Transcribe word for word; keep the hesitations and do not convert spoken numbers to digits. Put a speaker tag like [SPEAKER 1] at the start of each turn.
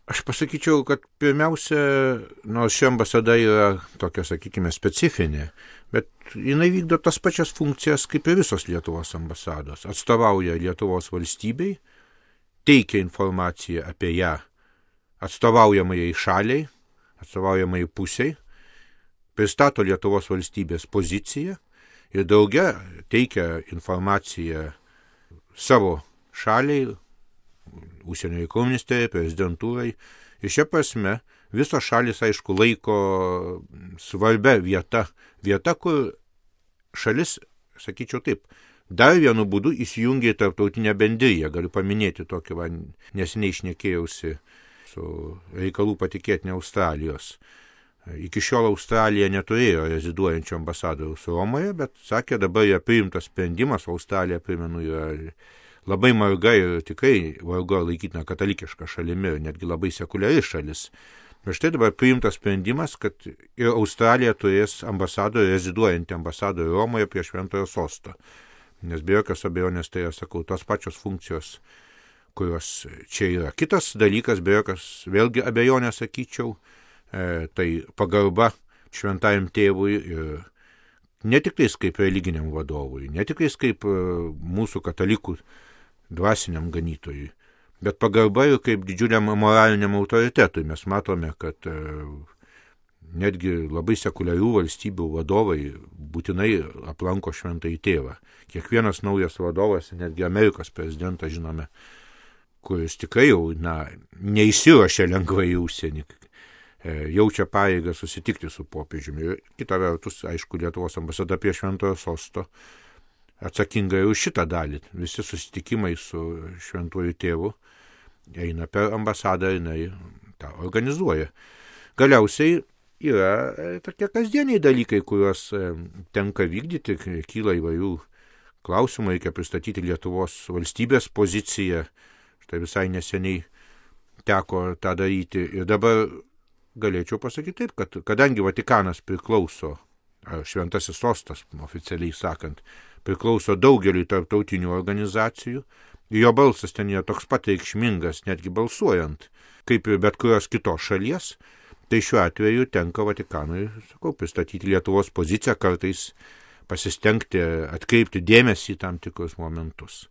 [SPEAKER 1] Aš pasakyčiau, kad pirmiausia, nors ši ambasada yra tokia, sakykime, specifinė, bet jinai vykdo tas pačias funkcijas kaip ir visos Lietuvos ambasados. Atstovauja Lietuvos valstybei, teikia informaciją apie ją atstovaujamai šaliai, atstovaujamai pusiai, pristato Lietuvos valstybės poziciją ir drauge teikia informaciją savo šaliai, užsienio reikalų ministerijai, prezidentūrai. Ir šia prasme visos šalis, aišku, laiko svarbia vieta, vieta, kur šalis, sakyčiau taip, dar vienu būdu įsijungia į tarptautinę bendriją. Galiu paminėti tokį, va, neseniai šnekėjausi su reikalų patikėtinė Australijos. Iki šiol Australija neturėjo reziduojančio ambasadoriaus Romoje, bet sakė, dabar yra priimtas sprendimas, Australija, primenu, yra labai marga ir tikrai vargu ar laikytina katalikiška šalimi ir netgi labai sekuliari šalis. Ir štai dabar priimtas sprendimas, kad ir Australija turės ambasadorių, reziduojantį ambasadorių Romoje prie Šventojo sosto. Nes be jokios abejonės tai yra, sakau, tos pačios funkcijos, kurios čia yra. Kitas dalykas, be jokios vėlgi abejonės, sakyčiau, e, tai pagarba šventajam tėvui ir ne tik tais kaip religiniam vadovui, ne tik tais kaip e, mūsų katalikų dvasiniam ganytojui, bet pagarba ir kaip didžiuliam moraliniam autoritetui. Mes matome, kad e, netgi labai sekuliarių valstybių vadovai būtinai aplanko šventąjį tėvą. Kiekvienas naujas vadovas, netgi Amerikos prezidentas, žinome, kuris tikrai jau na, neįsiruošia lengvai į užsienį, e, jaučia pareigą susitikti su popiežiumi. Ir kita vertus, aišku, Lietuvos ambasada prie Šventojo sosto atsakinga už šitą dalį. Visi susitikimai su šventuoju tėvu eina per ambasadą, jinai tą organizuoja. Galiausiai yra tokie kasdieniai dalykai, kuriuos tenka vykdyti, kyla įvairių klausimų, reikia pristatyti Lietuvos valstybės poziciją. Štai visai neseniai teko tą daryti. Ir dabar galėčiau pasakyti taip, kad kadangi Vatikanas priklauso, ar šventasis sostas, oficialiai sakant, priklauso daugeliui tarptautinių organizacijų, jo balsas ten yra toks pat reikšmingas, netgi balsuojant, kaip ir bet kurios kitos šalies, tai šiuo atveju tenka Vatikanui, sakau, pristatyti Lietuvos poziciją, kartais pasistengti atkreipti dėmesį į tam tikrus momentus.